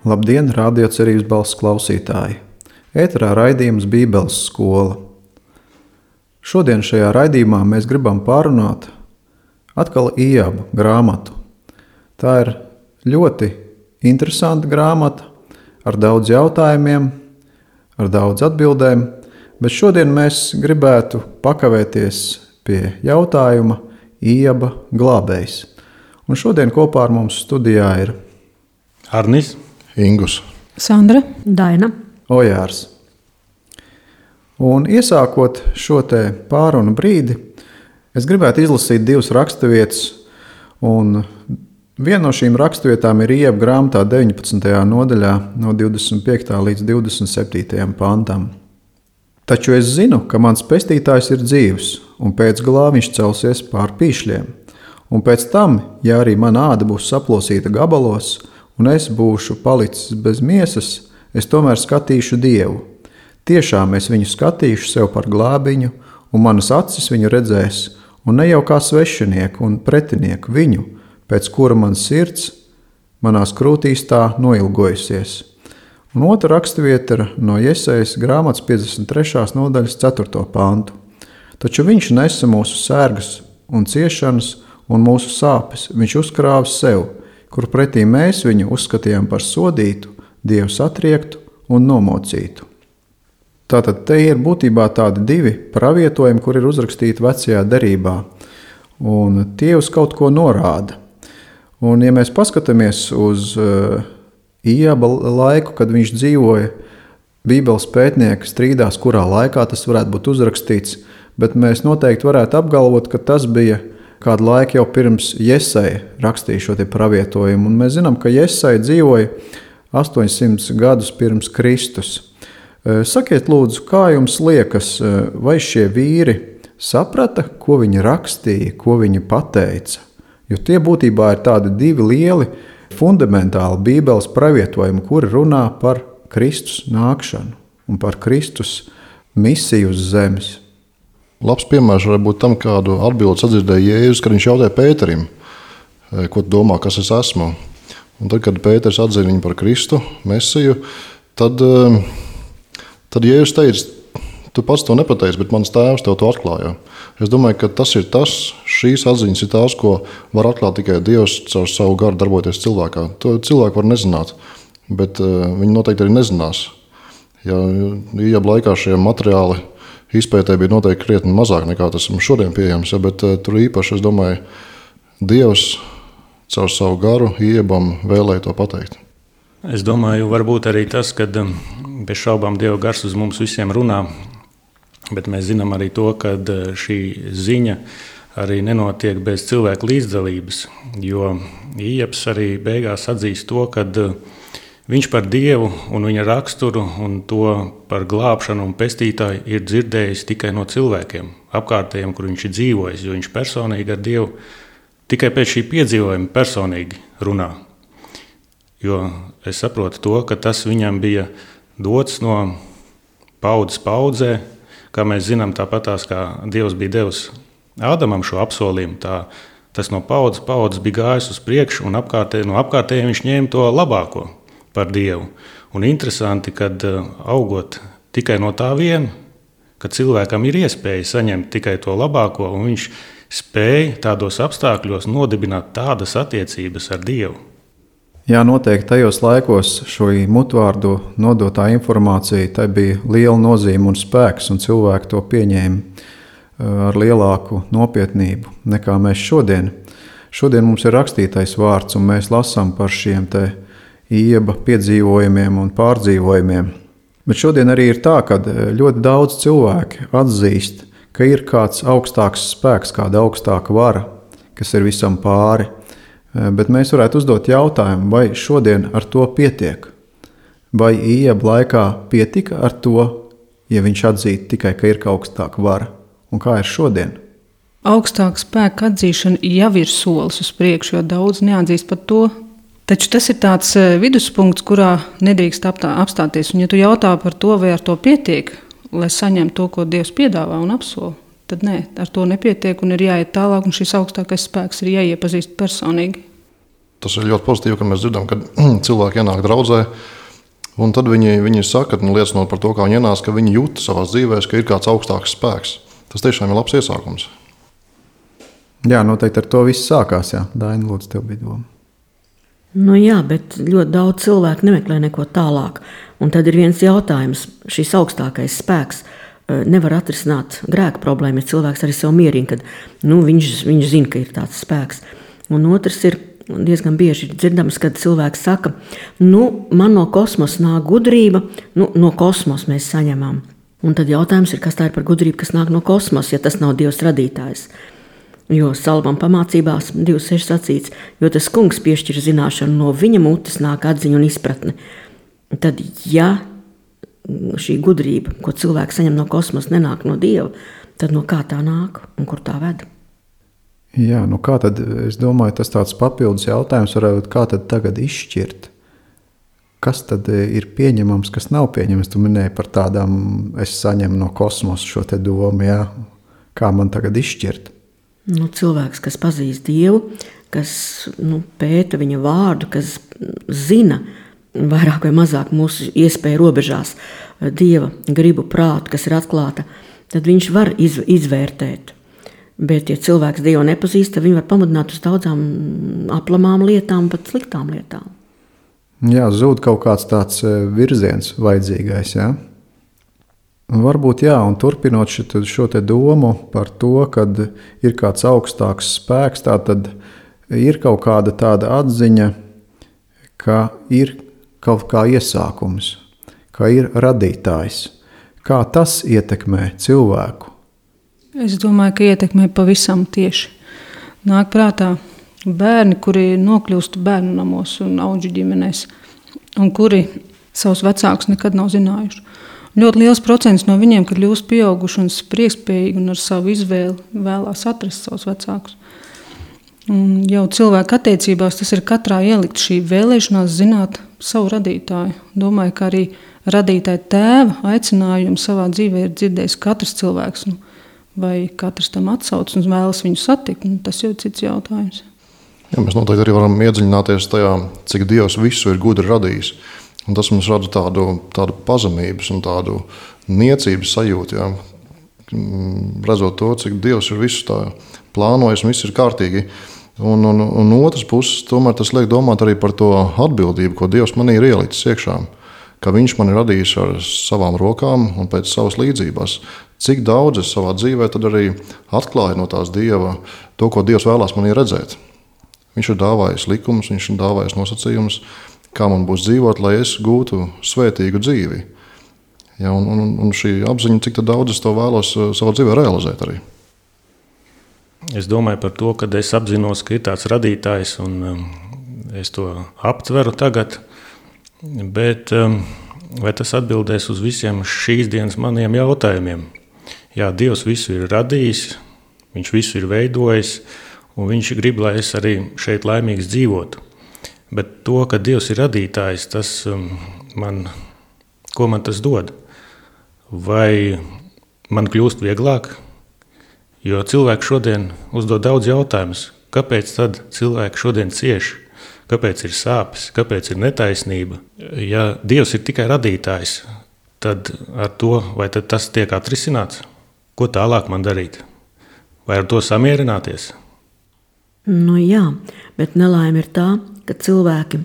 Labdien, Radio Cerības balss klausītāji! Ēterā raidījums Bībeles skola. Šodien šajā raidījumā mēs gribam pārunāt atkal Ijaba grāmatu. Tā ir ļoti interesanta grāmata ar daudz jautājumiem, ar daudz atbildēm, bet šodien mēs gribētu pakavēties pie jautājuma Ijaba glābējs. Un šodien kopā ar mums studijā ir Arnis, Ingus, Sandra, Daina, Ojārs. Un iesākot šo te pārunu brīdi, es gribētu izlasīt 2 raksturvietas, un viena no šīm raksturvietām ir Ijaba grāmatā 19. nodaļā no 25. līdz 27. pantam. Taču es zinu, ka mans pestītājs ir dzīvs, un pēc galā viņš celsies pār pīšļiem. Un pēc tam, ja arī mana āda būs saplosīta gabalos, un es būšu palicis bez miesas, es tomēr skatīšu Dievu. Tiešām es viņu skatīšu sev par glābiņu, un manas acis viņu redzēs, un ne jau kā svešinieku un pretinieku viņu, pēc kura man sirds manās krūtīs tā noilgojusies. Un otra raksturvieta ir no Jesajas grāmatas 53. nodaļas 4. pantu. Taču viņš nesa mūsu sērgas un ciešanas un mūsu sāpes, viņš uzkrāva sev, kur pretī mēs viņu uzskatījām par sodītu, Dievs atriektu un nomocītu. Tātad te ir būtībā tādi 2 pravietojumi, kur ir uzrakstīti vecajā derībā, un tie uz kaut ko norāda. Un ja mēs paskatāmies uz Ijaba laiku, kad viņš dzīvoja, Bībeles pētnieki strīdās, kurā laikā tas varētu būt uzrakstīts, bet mēs noteikti varētu apgalvot, ka tas bija kādu laiku jau pirms Jesaja rakstīja šo te pravietojumu, un mēs zinām, ka Jesaja dzīvoja 800 gadus pirms Kristus. Sakiet lūdzu, kā jums liekas, vai šie vīri saprata, ko viņi rakstīja, ko viņi pateica? Jo tie būtībā ir tādi 2 lieli, fundamentāli Bībeles pravietojumi, kuri runā par Kristus nākšanu un par Kristus misiju uz zemes. Labs piemērs var būt tam, kādu atbildi sadzirdēja Jēzus, kad viņš jautāja Pēterim, ko tu domā, kas es esmu. Un tad, kad Pēters atzina viņu par Kristu, Mesiju, tad Jēzus teica, tu pats to nepateici, bet mans tēvs tev to atklāja. Es domāju, ka šīs atziņas ir tās, ko var atklāt tikai Dievs caur savu garu darboties cilvēkā. To cilvēku var nezināt, bet viņi noteikti arī nezinās. Ja Ijaba laikā šie materiāli izpētē bija noteikti krietni mazāk nekā tas mums šodien pieejams, bet tur īpaši, es domāju, Dievs caur savu garu Ijabam vēlēja to pateikt. Es domāju, varbūt arī tas, ka bez šaubām Dieva gars uz mums visiem runā, bet mēs zinām arī to, ka šī ziņa arī nenotiek bez cilvēku līdzdalības, jo Ijabs arī beigās atzīst to, ka viņš par Dievu un viņa raksturu un to par glābšanu un pestītāju ir dzirdējis tikai no cilvēkiem, apkārtējiem, kur viņš ir dzīvojis, jo viņš personīgi ar Dievu tikai pēc šī piedzīvojuma personīgi runā. Jo es saprotu to, ka tas viņam bija dots no paudzes paudzē, kā mēs zinām, tāpatās kā Dievs bija devis Ādamam šo apsolījumu, tas no paudzes bija gājis uz priekšu un no apkārtējiem viņš ņēma to labāko par Dievu. Un interesanti, kad augot tikai no tā viena, ka cilvēkam ir iespēja saņemt tikai to labāko, un viņš spēja tādos apstākļos nodibināt tādas attiecības ar Dievu. Jā, noteikti tajos laikos šo mutvārdu nodotā informācija, tai bija liela nozīme un spēks, un cilvēki to pieņēma ar lielāku nopietnību nekā mēs šodien. Šodien mums ir rakstītais vārds, un mēs lasām par šiem te Ijaba piedzīvojumiem un pārdzīvojumiem. Bet šodien arī ir tā, ka ļoti daudz cilvēki atzīst, ka ir kāds augstāks spēks, kāda augstāka vara, kas ir visam pāri. Bet mēs varētu uzdot jautājumu, vai šodien ar to pietiek? Vai Ijaba laikā pietika ar to, ja viņš atzītu tikai, ka ir augstāka vara? Un kā ir šodien? augstāka spēka atzīšana jau ir solis uz priekšu, jo daudz neatzīst par to. Taču tas ir tāds viduspunkts, kurā nedrīkst apstāties. Un, ja tu jautā par to, vai ar to pietiek, lai saņemtu to, ko Dievs piedāvā un apsola, tad nē, ar to nepietiek un ir jāiet tālāk, un šis augstākais spēks ir jāiepazīst personīgi. tas ir ļoti pozitīvi, ka mēs dzirdam, ka cilvēki ienāk draudzē, un tad viņi saka, liecinot par to, kā viņi ienāca, ka viņi jūt savās dzīvēs, ka ir kāds augstāks spēks. Tas tiešām ir labs iesākums. Jā, noteikti ar to viss sākās. Jā. Daina, lūdzu, tev bija doma. Nu jā, bet ļoti daudz cilvēku nemeklē neko tālāk. Un tad ir viens jautājums. Šis augstākais spēks nevar atrisināt grēka problēmu, ja cilvēks arī sev mierina, kad viņš zina, ka ir tāds spēks. Un otrs ir diezgan bieži dzirdams, kad cilvēks saka, man no kosmosa nāk gudrība, no kosmosa mēs saņemam. Un tad jautājums ir, kas tā ir par gudrību, kas nāk no kosmosa, ja tas nav Dievs radītājs. Jo Salmam pamācībās 2.6 sacīts, jo tas kungs piešķir zināšanu, no viņa mutes nāk atziņa un izpratne. Tad, ja šī gudrība, ko cilvēks saņem no kosmosa, nenāk no Dieva, tad no kā tā nāk un kur tā ved? Jā, kā tad, es domāju, tas tāds papildus jautājums varētu, kā tad tagad izšķirt? Kas tad ir pieņemams, kas nav pieņemams? Tu minēji par tādām, es saņemu no kosmosa šo te domu, jā. Kā man tagad izšķirt? Cilvēks, kas pazīst Dievu, kas pēta viņa vārdu, kas zina vairāk vai mazāk mūsu iespēju robežās Dieva gribu prātu, kas ir atklāta, tad viņš var izvērtēt. Bet, ja cilvēks Dievu nepazīst, tad viņi var pamudināt uz daudzām aplamām lietām, pat sliktām lietām. Jā, zūd kaut kāds tāds virziens vajadzīgais, jā. Varbūt jā, un turpinot šo te domu par to, kad ir kāds augstāks spēks, tā tad ir kaut kāda tāda atziņa, ka ir kaut kā iesākums, ka ir radītājs. Kā tas ietekmē cilvēku? Es domāju, ka ietekmē pavisam tieši. Nāk prātā bērni, kuri nokļūst bērnu namos un audžu ģimenēs, un kuri savus vecākus nekad nav zinājuši. Ļoti liels procents no viņiem, kad kļūst pieauguši un spriekspējīgi un ar savu izvēli vēlās atrast savus vecākus. Un jau cilvēku attiecībās tas ir katrā ielikt šī vēlēšanās zināt savu radītāju. Domāju, ka arī radītāja tēva aicinājumu savā dzīvē ir dzirdējis katrs cilvēks. Vai katrs tam atsauc un vēlas viņu satikt, tas jau ir cits jautājums. Jā, mēs noteikti arī varam iedziļināties tajā, cik Dievs visu ir gudri radījis. Un tas mums rada tādu pazemības un tādu niecības sajūtu. Jā. Redzot to, cik Dievs ir visu tā plānojis un viss ir kārtīgi. Un otras puses, tomēr tas liek domāt arī par to atbildību, ko Dievs manī ir ielicis iekšā. Ka viņš man ir radījis ar savām rokām un pēc savas līdzības. Cik daudz es savā dzīvē tad arī atklāju no tās Dieva to, ko Dievs vēlās manī redzēt. Viņš ir dāvājis likumus, viņš ir dāvājis nosacījumus, kā man būs dzīvot, lai es gūtu svētīgu dzīvi. Ja, un šī apziņa, cik daudz es to vēlos savā dzīvē realizēt arī. Es domāju par to, ka es apzinos, ka ir tāds radītājs un es to aptveru tagad, bet vai tas atbildēs uz visiem šīs dienas maniem jautājumiem? Jā, Dievs visu ir radījis, viņš visu ir veidojis un viņš grib, lai es arī šeit laimīgs dzīvotu. Bet to, ka Dievs ir radītājs, ko man tas dod? Vai man kļūst vieglāk? Jo cilvēki šodien uzdod daudz jautājumus. Kāpēc tad cilvēki šodien cieš? Kāpēc ir sāpes? Kāpēc ir netaisnība? Ja Dievs ir tikai radītājs, tad ar to, vai tad tas tiek atrisināts? Ko tālāk man darīt? Vai ar to samierināties? Jā, bet nelaime ir tā, ka cilvēki,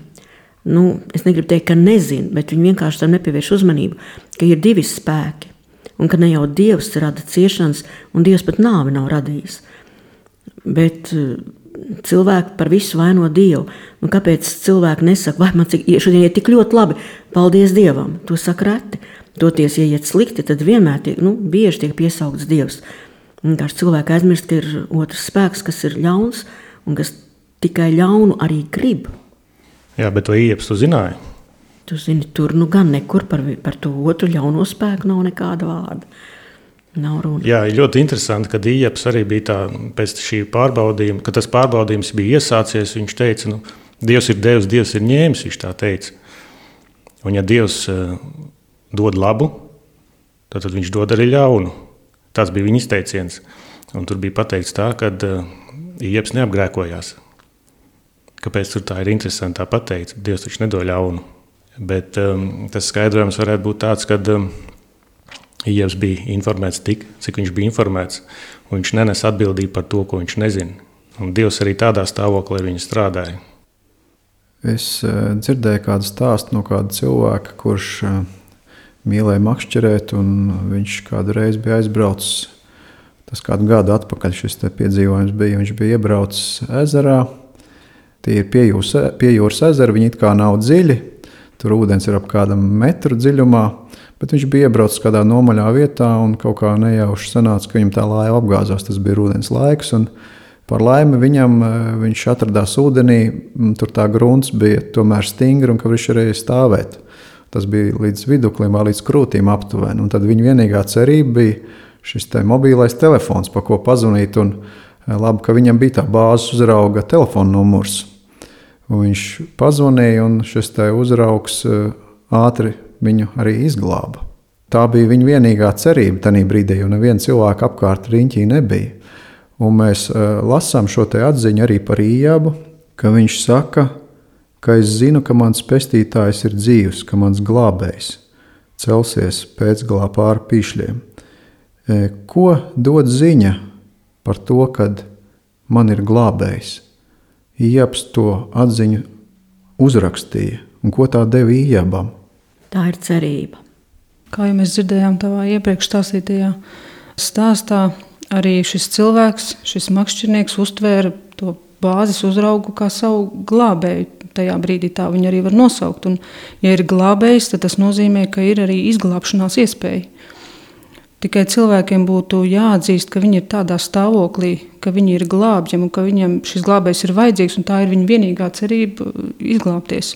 es negribu teikt, ka nezin, bet viņi vienkārši tam nepievērš uzmanību, ka ir divi spēki, un ka ne jau Dievs rada ciešanas, un Dievs pat nāvi nav radījis. Bet cilvēki par visu vaino Dievu. Kāpēc cilvēki nesaka, vai man šodien iet tik ļoti labi, paldies Dievam, to saka reti. Toties, ja iet slikti, tad vienmēr bieži tiek piesaukts Dievs. Vienkārši cilvēki aizmirst, ka ir otrs spēks, kas ir ļauns, un kas tikai ļaunu arī grib. Jā, bet vai Ieps tu zināji? Tu zini, tur gan nekur par to otru ļauno spēku nav nekāda vārda. Nav runa. Jā, ir ļoti interesanti, kad Ieps arī bija tā, pēc šī pārbaudījuma, kad tas pārbaudījums bija iesācies, viņš teica, Dievs ir devis, Dievs ir ņēmis, viņš tā teica. Un ja Dievs dod labu, tad viņš dod arī ļaunu. Tas bija viņa izteiciens. Un tur bija pateikts tā, ka Ieps neapgrēkojās. kāpēc tur tā ir interesanti tā pateikt. Dievs taču nedod ļaunu. Bet tas skaidrojums varētu būt tāds, ka Ievs bija informēts tik, cik viņš bija informēts, un viņš nenes atbildību par to, ko viņš nezina. Un Dievs arī tādā stāvoklī ar viņu strādāja. Es dzirdēju kādu stāstu no kāda cilvēka, kurš mīlēja makšķerēt, un viņš kādu reizi bija aizbraucis. Tas kādu gadu atpakaļ šis piedzīvojums bija. Viņš bija iebraucis ezerā. Tie ir pie jūras ezeri, viņi it kā nav dziļi. Tur ūdens ir ap kādam metru dziļumā, bet viņš bija iebraucis kādā nomaļā vietā un kaut kā nejauši sanāca, ka viņam tā laiva apgāzās. Tas bija rudens laiks, un par laimi viņš atradās ūdenī. Tur tā grunts bija tomēr stingra un ka viņš varēja stāvēt. Tas bija līdz viduklim, līdz krūtīm aptuveni. Un tad viņa vienīgā cerība bija šis mobilais telefons, pa ko pazvanīt. Un labi, ka viņam bija tā bāzes uzrauga telefona numurs. Un viņš pazvanīja, un šis uzraugs ātri viņu arī izglāba. Tā bija viņa vienīgā cerība tajā brīdī, jo neviena cilvēka apkārt riņķī nebija. Un mēs lasām šo atziņu arī par Iebu, ka viņš saka, ka es zinu, ka mans pestītājs ir dzīvs, ka mans glābējs celsies pēcgalā pāri pīšļiem. Ko dod ziņa par to, kad man ir glābējs? Iebs to atziņu uzrakstīja, un ko tā deva Iebam? Tā ir cerība. Kā jau mēs dzirdējām tavā iepriekš stāstītajā stāstā, arī šis cilvēks, šis makšķernieks uztvēra to bāzes uzraugu kā savu glābēju. Tajā brīdī tā viņu arī var nosaukt. Un, ja ir glābējs, tad tas nozīmē, ka ir arī izglābšanās iespēja. Tikai cilvēkiem būtu jāatzīst, ka viņi ir tādā stāvoklī, ka viņi ir glābjami un ka viņam šis glābējs ir vajadzīgs, un tā ir viņa vienīgā cerība izglābties.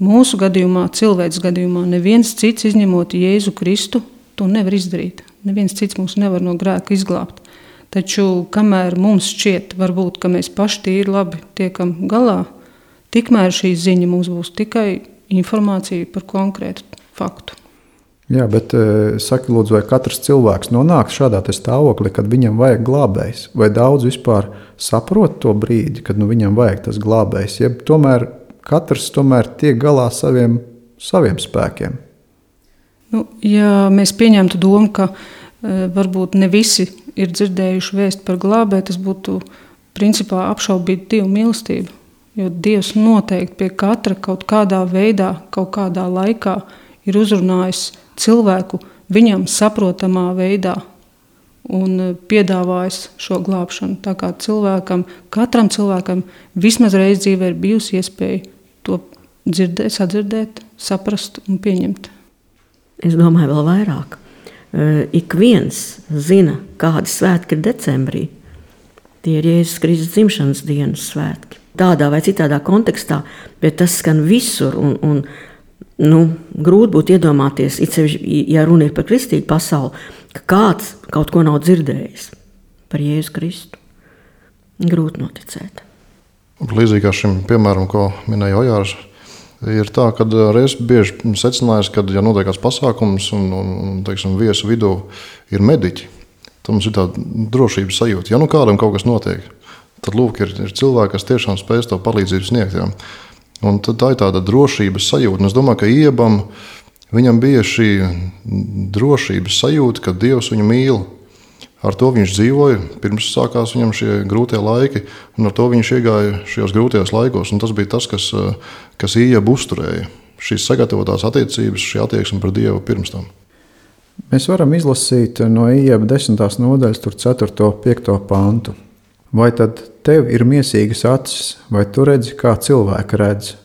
Mūsu gadījumā, cilvēks gadījumā, neviens cits izņemot Jēzu Kristu to nevar izdarīt. Neviens cits mūs nevar no grēka izglābt. Taču, kamēr mums šķiet, varbūt, ka mēs paši tīri labi tiekam galā, tikmēr šī ziņa mums būs tikai informācija par konkrētu faktu. Jā, bet saki, lūdzu, vai katrs cilvēks nonāk šādā stāvoklī, kad viņam vajag glābējs? Vai daudz vispār saprot to brīdi, kad viņam vajag tas glābējs? Ja tomēr katrs tiek galā saviem spēkiem? Ja mēs pieņemtu domu, ka varbūt ne visi ir dzirdējuši vēstu par glābēju, tas būtu principā apšaubīt Dievu mīlestību. Jo Dievs noteikti pie katra kaut kādā veidā, kaut kādā laikā ir uzrunājis cilvēku viņam saprotamā veidā un piedāvājis šo glābšanu. Tā kā katram cilvēkam vismaz reiz dzīvē ir bijusi iespēja to dzirdēt, sadzirdēt, saprast un pieņemt. Es domāju vēl vairāk. Ik viens zina, kādi svētki ir decembrī. Tie ir Jēzus Kristus dzimšanas dienas svētki. Tādā vai citādā kontekstā, bet tas skan visur un grūti būtu iedomāties, ja runa ir par kristīgu pasauli, ka kāds kaut ko nav dzirdējis par Jēzu Kristu. Grūti noticēt. Līdzīgi kā šim piemēram, ko minēja Ojārs, ir tā, ka reiz bieži secinājis, ka, ja notiek kāds pasākums un teiksim, viesu vidū ir mediķi, tad mums ir tāda drošības sajūta. Ja kādam kaut kas notiek, tad lūk, ir cilvēki, kas tiešām spēj to palīdzību sniegt. Jā. Un tā ir tāda drošības sajūta. Un es domāju, ka Iebam viņam bija šī drošības sajūta, ka Dievs viņu mīl. Ar to viņš dzīvoja, pirms sākās viņam šie grūtie laiki, un ar to viņš iegāja šajos grūtajos laikos. Un tas bija tas, kas Iebu uzturēja. Šīs sagatavotās attiecības, šī attieksme par Dievu pirms tam. Mēs varam izlasīt no Ieba 10. nodaļas, 4. 5. pantu. Vai tad tev ir miesīgas acis, vai tu redzi, kā cilvēka redz?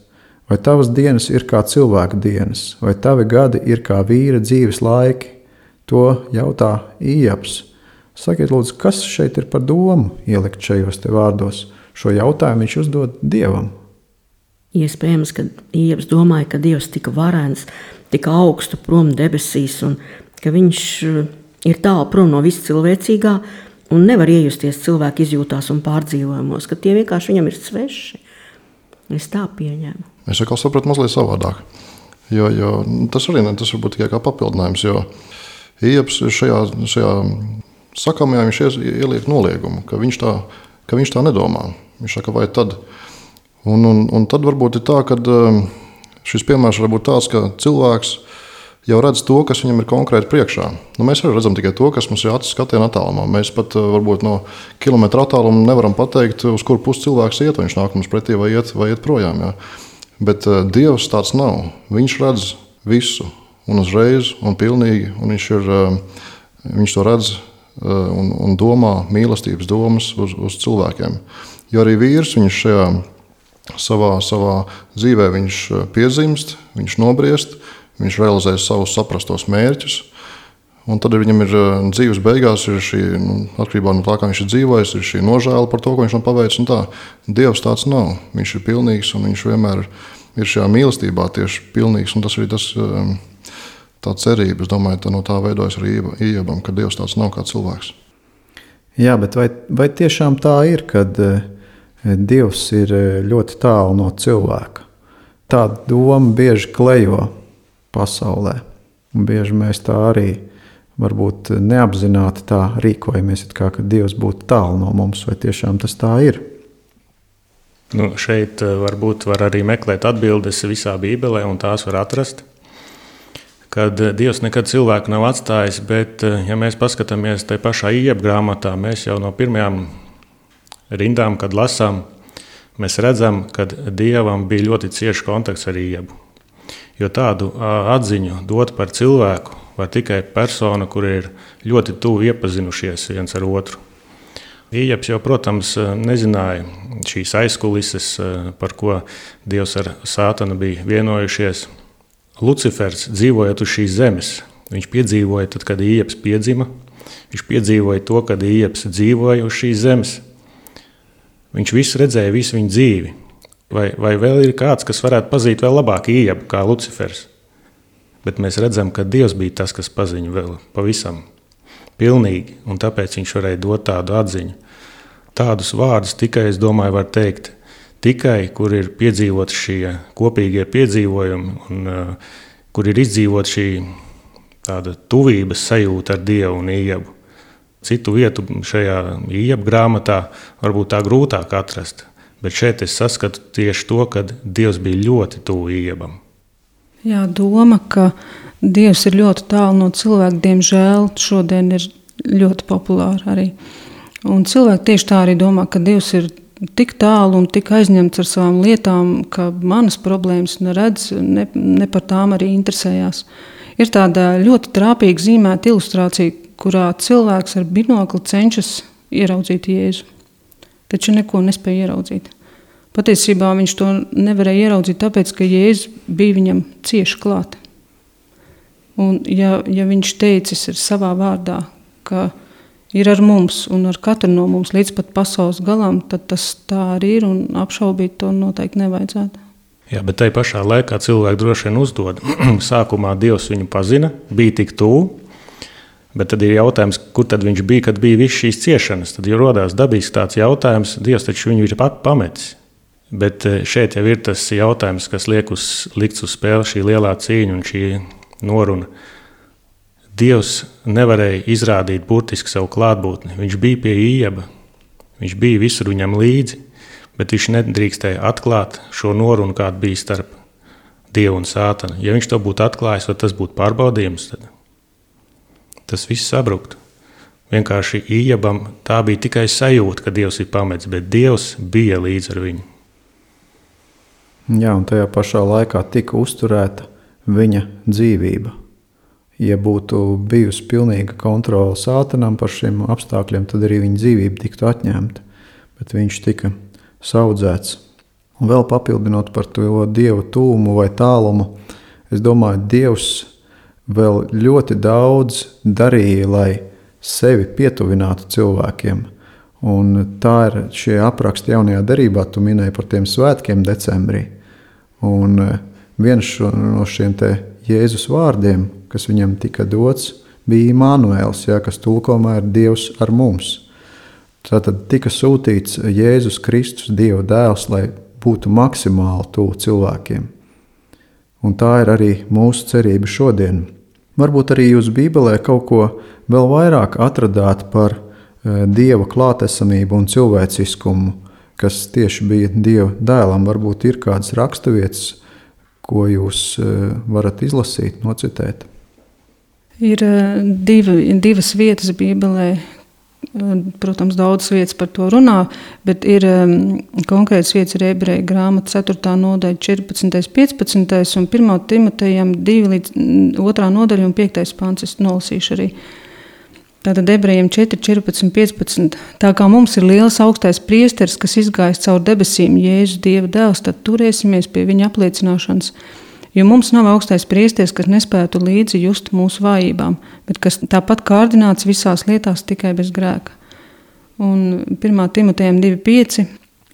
Vai tavas dienas ir kā cilvēka dienas, vai tavi gadi ir kā vīra dzīves laiki? To jautā Iebs. Sakiet, lūdzu, kas šeit ir par domu ielikt šajos te vārdos? Šo jautājumu viņš uzdod Dievam. Iespējams, ka Iebs domāja, ka Dievs tika varens, tika augstu prom debesīs, un ka viņš ir tālu prom no viss cilvēcīgā, un nevar iejusties cilvēku izjūtās un pārdzīvojumos, ka tie vienkārši viņam ir sveši. Es tā pieņēmu. Es atkal sapratu mazliet savādāk. Jo tas arī tas varbūt tikai kā papildinājums, jo Iebs šajā sakamajā viņš ieliek noliegumu, ka viņš tā nedomā. Viņš saka, vai tad, Un tad varbūt ir tā, ka šis piemērs var būt tāds, ka cilvēks jau redz to, kas viņam ir konkrēti priekšā. Mēs arī redzam tikai to, kas mums ir acis skatiena attālumā. Mēs pat varbūt no kilometra attāluma nevaram pateikt, uz kuru pusi cilvēks iet, vai viņš nāk mums pretī vai iet projām. Jā. Bet Dievs tāds nav. Viņš redz visu un uzreiz un pilnīgi, un viņš to redz un domā mīlestības domas uz cilvēkiem. Jo arī vīrs viņš šajā savā dzīvē viņš piedzimst, viņš nobriest, viņš realizē savus saprastos mērķus, un tad viņam ir dzīves beigās ir šī, atkarībā no tā, kā viņš ir dzīvojis, ir šī nožēla par to, ko viņš nav paveicis, un tā. Dievs tāds nav. Viņš ir pilnīgs, un viņš vienmēr ir šajā mīlestībā tieši pilnīgs, un tas arī tā cerība, es domāju, no tā veidojas arī Ijobam, ka Dievs tāds nav kā cilvēks. Jā, bet vai tiešām tā ir, kad Dievs ir ļoti tālu no cilvēka? Tā doma bieži klejo pasaulē, un bieži mēs tā arī varbūt neapzināti tā rīkojamies, ka Dievs būtu tālu no mums, vai tiešām tas tā ir? Šeit varbūt var arī meklēt atbildes visā Bībelē, un tās var atrast. Kad Dievs nekad cilvēku nav atstājis, bet, ja mēs paskatāmies tajā pašā Ijoba grāmatā, mēs jau no pirmajām rindām, kad lasām, mēs redzam, ka Dievam bija ļoti ciešs kontakts ar Ijobu. Jo tādu atziņu dot par cilvēku var tikai persona, kur ir ļoti tuvu iepazinušies viens ar otru. Ijobs jau, protams, nezināja šīs aizkulises, par ko Dievs ar Sātanu bija vienojušies. Lucifers, dzīvojot uz šīs zemes, viņš piedzīvoja, tad, kad Ijobs piedzima, viņš piedzīvoja to, kad Ijobs dzīvoja uz šīs zemes. Viņš visu redzēja, visu viņa dzīvi. Vai vēl ir kāds, kas varētu pazīt vēl labāk Ijobu kā Lucifers? Bet mēs redzam, ka Dievs bija tas, kas paziņa vēl pavisam pilnīgi, un tāpēc viņš varēja dot tādu atziņu. Tādus vārdus tikai, es domāju, var teikt, tikai, kur ir piedzīvot šie kopīgie piedzīvojumi, un kur ir izdzīvot šī tāda tuvības sajūta ar Dievu un Ijobu. Citu vietu šajā Ijoba grāmatā varbūt tā grūtāk atrast, bet šeit es saskatu tieši to, ka Dievs bija ļoti tuvu Ijobam. Jā, doma, ka Dievs ir ļoti tālu no cilvēka, diemžēl šodien ir ļoti populāra arī. Un cilvēki tieši tā arī domā, ka Dievs ir tik tālu un tik aizņemts ar savām lietām, ka manas problēmas neredz, ne par tām arī interesējās. Ir tāda ļoti trāpīga zīmēta ilustrācija, kurā cilvēks ar binokli cenšas ieraudzīt Jēzu, taču neko nespēja ieraudzīt. Patiesībā viņš to nevarēja ieraudzīt, tāpēc, ka Jēzus bija viņam cieši klāt. Un ja viņš teicis ir savā vārdā, ka ir ar mums un ar katru no mums līdz pat pasaules galam, tad tas tā arī ir, un apšaubīt to noteikti nevajadzētu. Jā, bet tai pašā laikā cilvēki droši vien uzdod. Sākumā Dievs viņu pazina, bija tik tuvu, bet tad ir jautājums, kur tad viņš bija, kad bija viss šīs ciešanas. Tad jau rodās dabīgs tāds jautājums, Dievs taču viņu ir pametis. Bet šeit jau ir tas jautājums, kas likts uz spēli, šī lielā cīņa un šī noruna. Dievs nevarēja izrādīt burtiski savu klātbūtni. Viņš bija pie Ijoba, viņš bija visur viņam līdzi, bet viņš nedrīkstēja atklāt šo norunu, kāda bija starp Dievu un Sātanu. Ja viņš to būtu atklājis, tad tas būtu pārbaudījums. Tad tas viss sabruktu. Vienkārši Ijobam tā bija tikai sajūta, ka Dievs ir pametis, bet Dievs bija līdz ar viņu. Jā, un tajā pašā laikā tika uzturēta viņa dzīvība. Ja būtu bijusi pilnīga kontrole Sātanam par šiem apstākļiem, tad arī viņa dzīvība tiktu atņemta. Bet viņš tika saudzēts. Un vēl papildinot par to Dieva tūmu vai tālumu, es domāju, Dievs vēl ļoti daudz darīja, lai sevi pietuvinātu cilvēkiem. Un tā ir šie apraksti jaunajā derībā, tu minēji par tiem svētkiem decembrī. Un viens no šiem te Jēzus vārdiem, kas viņam tika dots, bija Immanuēls, kas tulkojumā ir Dievs ar mums. Tātad tika sūtīts Jēzus Kristus, Dieva dēls, lai būtu maksimāli tuvu cilvēkiem. Un tā ir arī mūsu cerība šodien. Varbūt arī jūs Bībelē kaut ko vēl vairāk atradāt par Dieva klātesamību un cilvēciskumu, kas tieši bija Dieva dēlam. Varbūt ir kādas raksturvietas, ko jūs varat izlasīt, nocitēt. Ir divas vietas Bībelē. Protams, daudzas vietas par to runā, bet ir konkrētas vietas ir Ebreju grāmata 4. nodaļa 14. 15. un 1. Timotejam 2. nodaļa un 5. pants. Es nolasīšu arī. Tātad Ebrejiem 4, 14, 15. Tā kā mums ir liels augstais priesteris, kas izgājis caur debesīm, Jēzus Dieva dēls, tad turēsimies pie viņa apliecināšanas. Jo mums nav augstais priesteris, kas nespētu līdzi just mūsu vājībām, bet kas tāpat kārdināts visās lietās tikai bez grēka. Un 1. Timotejam 2,5.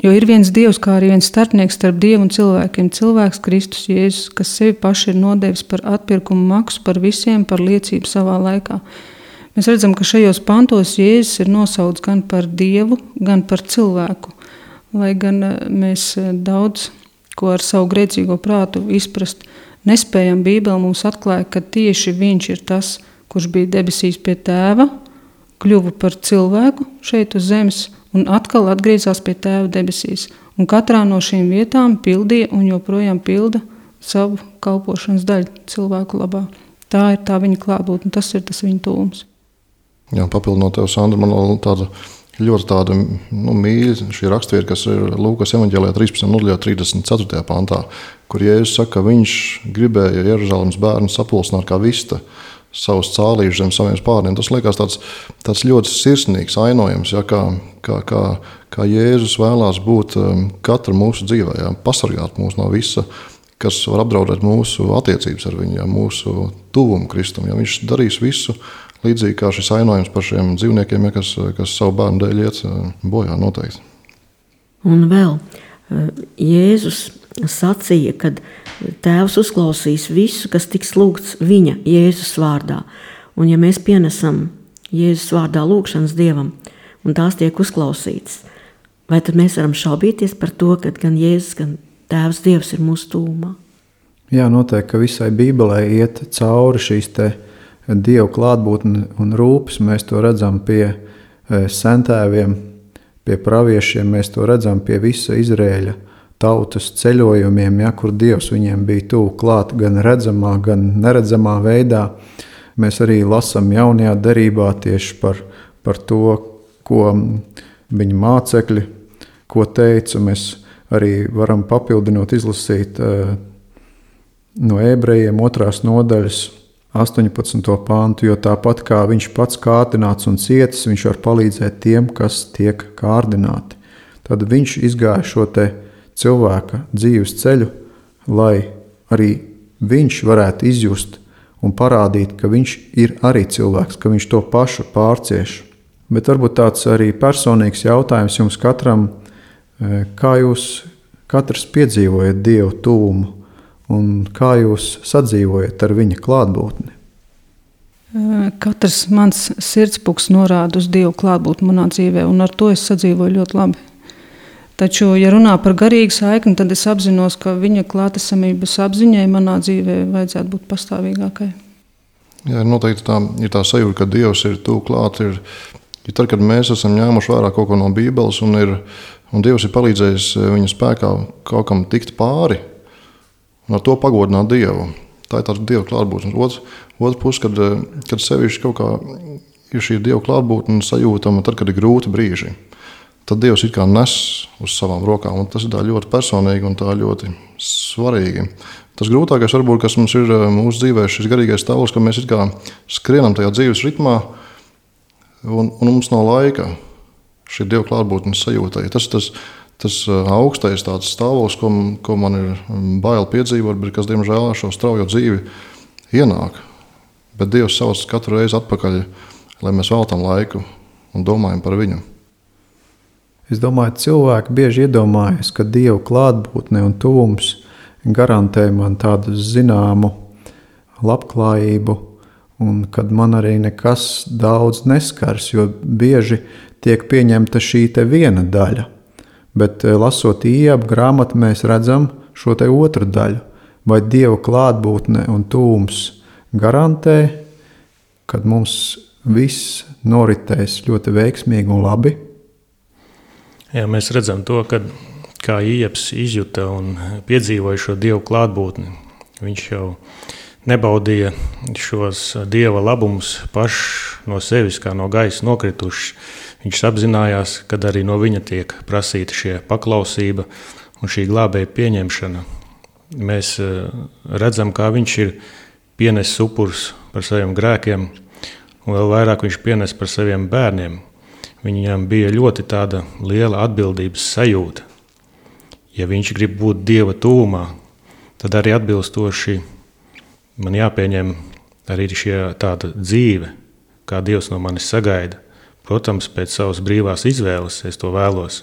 Jo ir viens Dievs, kā arī viens starpnieks starp Dievu un cilvēkiem, cilvēks Kristus Jēzus, kas sevi paši ir nodevis par atpirkumu maksu par visiem par liecību savā laikā. Mēs redzam, ka šajos pantos Jēzus ir nosauts gan par Dievu, gan par cilvēku, lai gan mēs daudz ko ar savu grēcīgo prātu izprast nespējam. Bībele mums atklāja, ka tieši viņš ir tas, kurš bija debesīs pie tēva, kļuva par cilvēku šeit uz zemes un atkal atgriezās pie tēva debesīs. Un katrā no šīm vietām pildīja un joprojām pilda savu kalpošanas daļu cilvēku labā. Tā ir tā viņa klātbūtne, tas ir tas viņa tūms. Jā, papildinot tev, Sandra, man vēl ļoti mīļa šī rakstvieta, kas ir Lūkas evaņģēlijā 13. nodaļā 34. pantā, kur Jēzus saka, ka viņš gribēja Jeruzalemes bērnu sapulcināt kā vista savus cālīšus zem saviem spārniem. Tas liekas tāds ļoti sirsnīgs ainojums, ja, kā Jēzus vēlās būt katra mūsu dzīvē, ja, pasargāt mūs no visa, kas var apdraudēt mūsu attiecības ar viņu, ja, mūsu tuvumu Kristum. Ja, viņš darīs visu, līdzīgi kā šis ainojums par šiem dzīvniekiem, ja, kas savu bērnu dēļ iet bojā noteikti. Un vēl Jēzus sacīja, ka Tēvs uzklausīs visu, kas tiks lūgts viņa Jēzus vārdā. Un ja mēs pienesam Jēzus vārdā lūgšanas Dievam, un tās tiek uzklausītas, vai tad mēs varam šaubīties par to, ka gan Jēzus, gan Tēvs Dievs ir mūsu tūmā? Jā, noteikti, ka visai Bībelē iet cauri šīs te Dieva klātbūtne un rūpes. Mēs to redzam pie sentēviem, pie praviešiem, mēs to redzam pie visa Izraēļa tautas ceļojumiem, ja, kur Dievs viņiem bija tuvu klāt gan redzamā, gan neredzamā veidā. Mēs arī lasām jaunajā derībā tieši par to, ko viņa mācekļi, ko teica. Mēs arī varam papildinot izlasīt no Ebrejiem 2. nodaļas 18. pāntu, jo tāpat kā viņš pats kārdināts un cietis, viņš var palīdzēt tiem, kas tiek kārdināti. Tad viņš izgāja šo te cilvēka dzīves ceļu, lai arī viņš varētu izjust un parādīt, ka viņš ir arī cilvēks, ka viņš to pašu pārcieš. Bet varbūt tāds arī personīgs jautājums jums katram, kā jūs katrs piedzīvojat Dievu tuvumu un kā jūs sadzīvojat ar viņa klātbūtni? Katrs mans sirdspūks norāda uz Dievu klātbūtni manā dzīvē, un ar to es sadzīvoju ļoti labi. Taču, ja runā par garīgu saikni, tad es apzinos, ka viņa klātesamības apziņai manā dzīvē vajadzētu būt pastāvīgākai. Jā, noteikti ir tā sajūta, ka Dievs ir tuvu klāt. Ir tad, kad mēs esam ņēmuši vērā kaut ko no Bībeles, un Dievs ir palīdzējis viņa spēkā kaut kam tikt pāri, un ar to pagodināt Dievu. Tā ir tāda Dieva klātbūtne. Otrs puses, kad sevišķi kaut kā ir šī Dieva klātbūtne sajūtama, tad, kad ir grūti brīži, tad Dievs it kā nes uz savām rokām. Un tas ir tā ļoti personīgi un tā ļoti svarīgi. Tas grūtākais, varbūt, kas mums ir mūsu dzīvē, šis garīgais stāvoklis, ka mēs it kā skrienam tajā dzīves ritmā, un mums nav laika šī Dieva klātbūtnes sajūtai. Tas augstais tāds stāvoklis, ko man ir bail piedzīvot, bet kas, diemžēl, šo straujo dzīvi ienāk. Bet Dievs sauc katru reizi atpakaļ, lai mēs veltam laiku un domājam par viņu. Es domāju, cilvēki bieži iedomājas, ka Dieva klātbūtne un tuvums garantē man tādu zināmu labklājību, un kad man arī nekas daudz neskars, jo bieži tiek pieņemta šī te viena daļa. Bet lasot Iebu grāmatu, mēs redzam šo te otru daļu. Vai Dieva klātbūtne un tūms garantē, kad mums viss noritēs ļoti veiksmīgi un labi? Jā, mēs redzam to, kā Ieps izjuta un piedzīvoja šo Dievu klātbūtni. Viņš jau nebaudīja šos Dieva labumus pašs no sevis, kā no gaisa nokritušs. Viņš apzinājās, kad arī no viņa tiek prasīta šie paklausība un šī glābēja pieņemšana. Mēs redzam, kā viņš ir pienesis upurs par saviem grēkiem, un vēl vairāk viņš pienes par saviem bērniem. Viņam bija ļoti tāda liela atbildības sajūta. Ja viņš grib būt Dieva tuvumā, tad arī atbilstoši man jāpieņem arī šie tāda dzīve, kā Dievs no manis sagaida. Protams, pēc savas brīvās izvēles es to vēlos.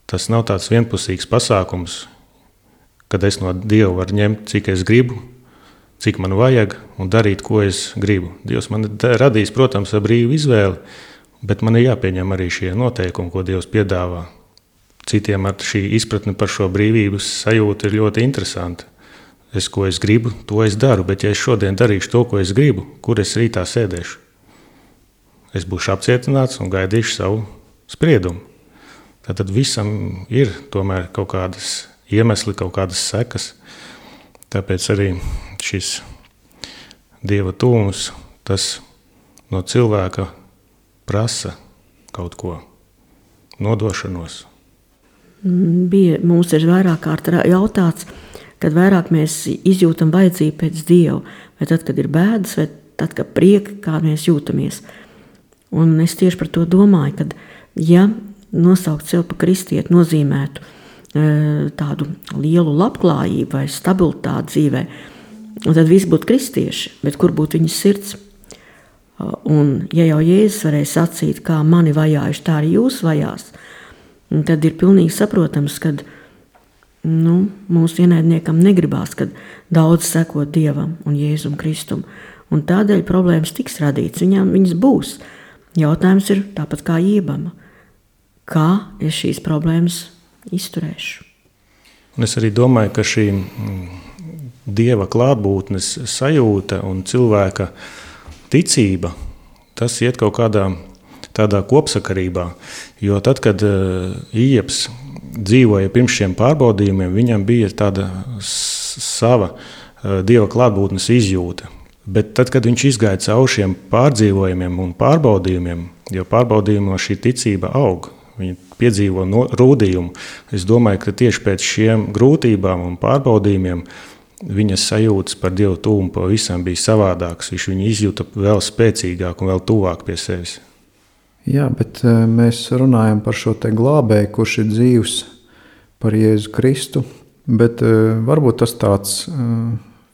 Tas nav tāds vienpusīgs pasākums, kad es no Dieva varu ņemt, cik es gribu, cik man vajag un darīt, ko es gribu. Dievs man radīs, protams, ar brīvu izvēli, bet man ir jāpieņem arī šie noteikumi, ko Dievs piedāvā. Citiem ar šī izpratne par šo brīvības sajūtu ir ļoti interesanti. Ko es gribu, to es daru, bet ja es šodien darīšu to, ko es gribu, kur es rītā sēdēšu? Es būšu apcietināts un gaidīšu savu spriedumu. Tātad visam ir tomēr kaut kādas iemesli, kaut kādas sekas. Tāpēc arī šis Dieva tuvums, tas no cilvēka prasa kaut ko, nodošanos. Mums ir vairāk kārt jautāts, kad vairāk mēs izjūtam vajadzību pēc Dieva, vai tad, kad ir bēdas, vai tad, kad prieka, kā mēs jūtamies. Un es tieši par to domāju, ka ja nosaukt sev par kristieti nozīmētu tādu lielu labklājību vai stabilitāti dzīvē, tad visi būtu kristieši, bet kur būtu viņas sirds? Un ja jau Jēzus varēja sacīt, kā mani vajājuši, tā arī jūs vajās, tad ir pilnīgi saprotams, ka mūsu ienaidniekam negribās, kad daudz seko Dievam un Jēzum Kristum. Un tādēļ problēmas tiks radīts, viņas būs. Jautājums ir tāpat kā Iebama. Kā es šīs problēmas izturēšu? Un es arī domāju, ka šī Dieva klātbūtnes sajūta un cilvēka ticība, tas iet kaut kādā tādā kopsakarībā. Jo tad, kad Ieps dzīvoja pirms šiem pārbaudījumiem, viņam bija tāda sava Dieva klātbūtnes izjūta. Bet tad, kad viņš izgāja cauri šiem pārdzīvojumiem un pārbaudījumiem, jo pārbaudījumā šī ticība aug, viņi piedzīvo rūdījumu. Es domāju, ka tieši pēc šiem grūtībām un pārbaudījumiem viņas sajūtas par Dievu tuvumu pavisam bija savādākas. Viņš viņu izjuta vēl spēcīgāk un vēl tuvāk pie sevis. Jā, bet mēs runājam par šo te glābēju, kurš ir dzīvs par Jēzu Kristu, bet varbūt tas tāds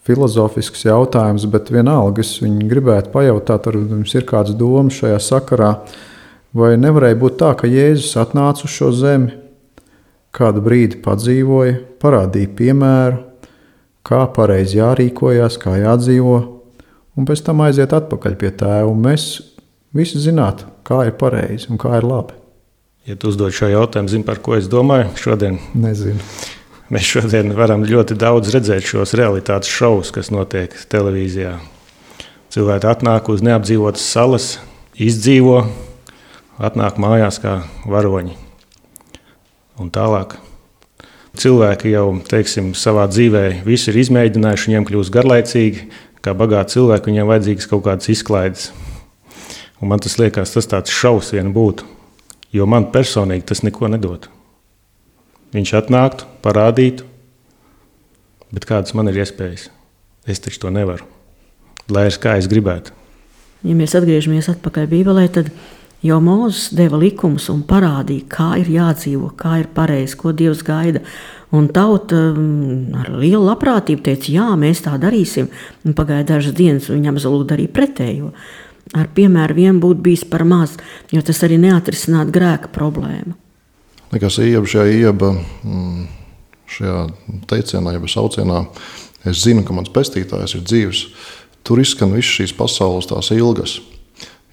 filozofisks jautājums, bet vienalga es viņu gribētu pajautāt, ar jums ir kāds domas šajā sakarā, vai nevarēja būt tā, ka Jēzus atnāca uz šo zemi, kādu brīdi padzīvoja, parādīja piemēru, kā pareizi jārīkojās, kā jādzīvo, un pēc tam aiziet atpakaļ pie Tēva, un mēs visi zinātu, kā ir pareizi un kā ir labi. Ja tu uzdod šo jautājumu, zini, par ko es domāju šodien? Nezinu. Mēs šodien varam ļoti daudz redzēt šos realitātes šovus, kas notiek televīzijā. Cilvēki atnāk uz neapdzīvotas salas, izdzīvo, atnāk mājās kā varoņi. Un tālāk. Cilvēki jau, teiksim, savā dzīvē visu ir izmēģinājuši, viņiem kļūst garlaicīgi, kā bagāti cilvēki, viņiem vajadzīgas kaut kādas izklaides. Un man tas liekas, tas tāds šovs vien būtu, jo man personīgi tas neko nedod. Viņš atnāktu, parādītu, bet kādas man ir iespējas? Es taču to nevaru, lai es kā es gribētu. Ja mēs atgriežamies atpakaļ Bībelē, tad jau Mūzes deva likumus un parādīja, kā ir jādzīvo, kā ir pareizi, ko Dievs gaida. Un tauta ar lielu labprātību teica, jā, mēs tā darīsim. Un pagāja dažas dienas, un viņam absolūti darīja pretējo. Ar piemēru vien būtu bijis par maz, jo tas arī neatrisinātu grēka problēmu. Nekas Ieba šajā teicienā, jeb saucienā, es zinu, ka mans pestītājs ir dzīvs. Tur izskan visas šīs pasaules tās ilgas.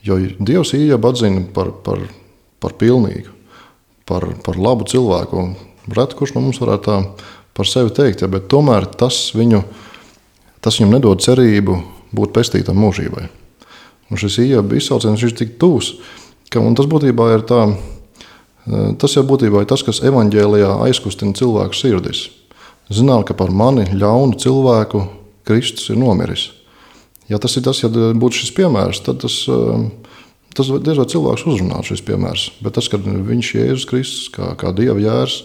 Jo Dievs Iebu atzina par pilnīgu, par labu cilvēku. Reti, kurš no mums varētu tā par sevi teikt, bet tomēr tas viņam nedod cerību būt pestītam mūžībai. Un šis Iebu izsauciens ir tik tuvs, un tas būtībā ir tā Tas jau būtībā ir tas, kas evaņģēlijā aizkustina cilvēku sirdis. Zināt, ka par mani ļaunu cilvēku Kristus ir nomiris. Ja tas ir tas, ja būtu šis piemērs, tad tas diez vai cilvēks uzrunātu šis piemērs. Bet tas, kad viņš Jēzus Kristus, kā Dieva jērs,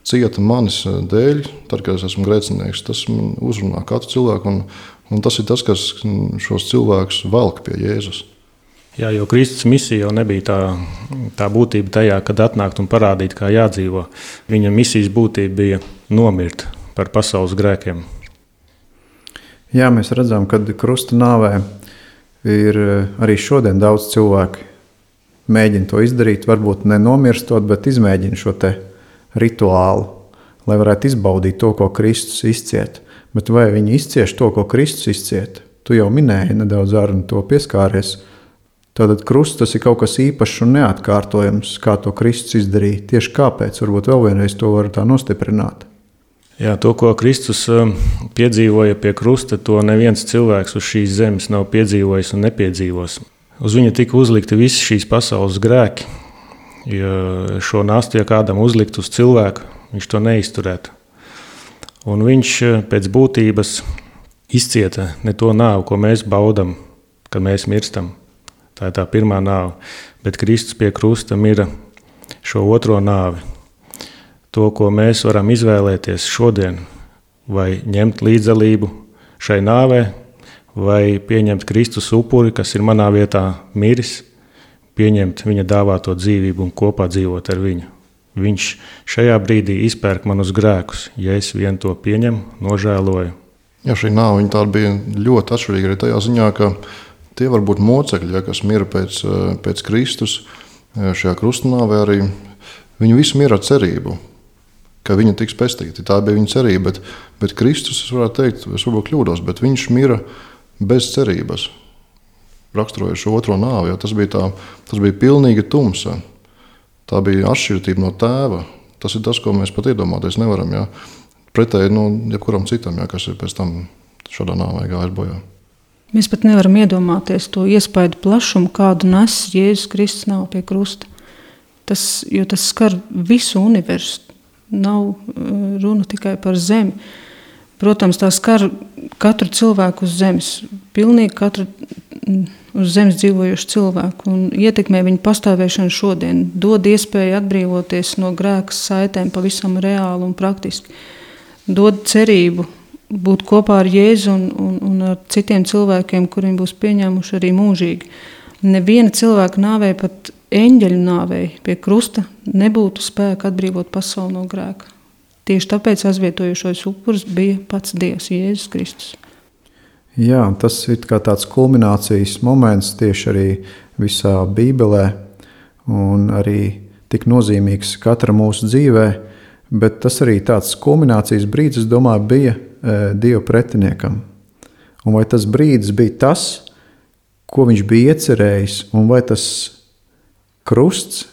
cieta manis dēļ, tad, kad es esmu grēcinieks, tas man uzrunā katru cilvēku, un tas ir tas, kas šos cilvēkus velk pie Jēzus. Jā, jo Kristus misija jau nebija tā būtība tajā, kad atnākt un parādīt, kā jādzīvo. Viņa misijas būtība bija nomirt par pasaules grēkiem. Jā, mēs redzam, ka krusta nāvē ir arī šodien daudz cilvēku mēģina to izdarīt, varbūt nenomirstot, bet izmēģina šo te rituālu, lai varētu izbaudīt to, ko Kristus izciet. Bet vai viņi izcieš to, ko Kristus izciet? Tu jau minēji nedaudz ar to pieskāries. Tātad krusts tas ir kaut kas īpašs un neatkārtojams, kā to Kristus izdarīja. Tieši kāpēc? Varbūt vēl vienreiz to var tā nostiprināt. Jā, to, ko Kristus piedzīvoja pie krusta, to neviens cilvēks uz šīs zemes nav piedzīvojis un nepiedzīvos. Uz viņa tika uzlikti visi šīs pasaules grēki. Ja šo nastu, ja kādam uzlikt uz cilvēku, viņš to neizturētu. Un viņš pēc būtības izcieta ne to nāvu, ko mēs baudam, kad mēs mirstam. Tā ir tā pirmā nāve, bet Kristus pie krusta mira šo otro nāvi. To, ko mēs varam izvēlēties šodien, vai ņemt līdzdalību šai nāvē, vai pieņemt Kristus upuri, kas ir manā vietā miris, pieņemt viņa dāvāto dzīvību un kopā dzīvot ar viņu. Viņš šajā brīdī izpērk manus grēkus, ja es vien to pieņemu, nožēloju. Jā, šī nāve tā bija ļoti atšķirīga arī tajā ziņā, ka tie var būt mocekļi, kas mira pēc Kristus. Šajā krustnāvē arī viņi visi mira ar cerību, ka viņi tiks pestīti. Tā bija viņa cerība, bet Kristus, es varētu teikt, es varbūt kļūdos, bet viņš mira bez cerības. Raksturojot šo otro nāvi, jo tas bija pilnīga tumsa. Tā bija atšķirība no tēva. Tas ir tas, ko mēs pat iedomāties nevaram. Jā. Pretēji jebkuram citam, jā, kas ir pēc tam šādā nāvē gājis bojā. Mēs pat nevaram iedomāties to iespaidu plašumu, kādu nes Jēzus Kristus nāve pie krusta. Jo tas skar visu universu. Nav runa tikai par zemi. Protams, tā skar katru cilvēku uz zemes. Pilnīgi katru uz zemes dzīvojušu cilvēku un ietekmē viņu pastāvēšanu šodien. Dod iespēju atbrīvoties no grēka saitēm pavisam reāli un praktiski. Dod cerību būt kopā ar Jēzu un ar citiem cilvēkiem, kuriem būs pieņēmuši arī mūžīgi. Neviena cilvēka nāvei, pat eņģeļu nāvei pie krusta nebūtu spēka atbrīvot pasauli no grēka. Tieši tāpēc aizvietojušais upuris bija pats Dievs, Jēzus Kristus. Jā, tas ir kā tāds kulminācijas moments tieši arī visā Bībelē un arī tik nozīmīgs katra mūsu dzīvē, bet tas arī tāds kulminācijas brīdis, es domāju, bija Dieva pretiniekam. Un vai tas brīdis bija tas, ko viņš bija iecerējis, un vai tas krusts,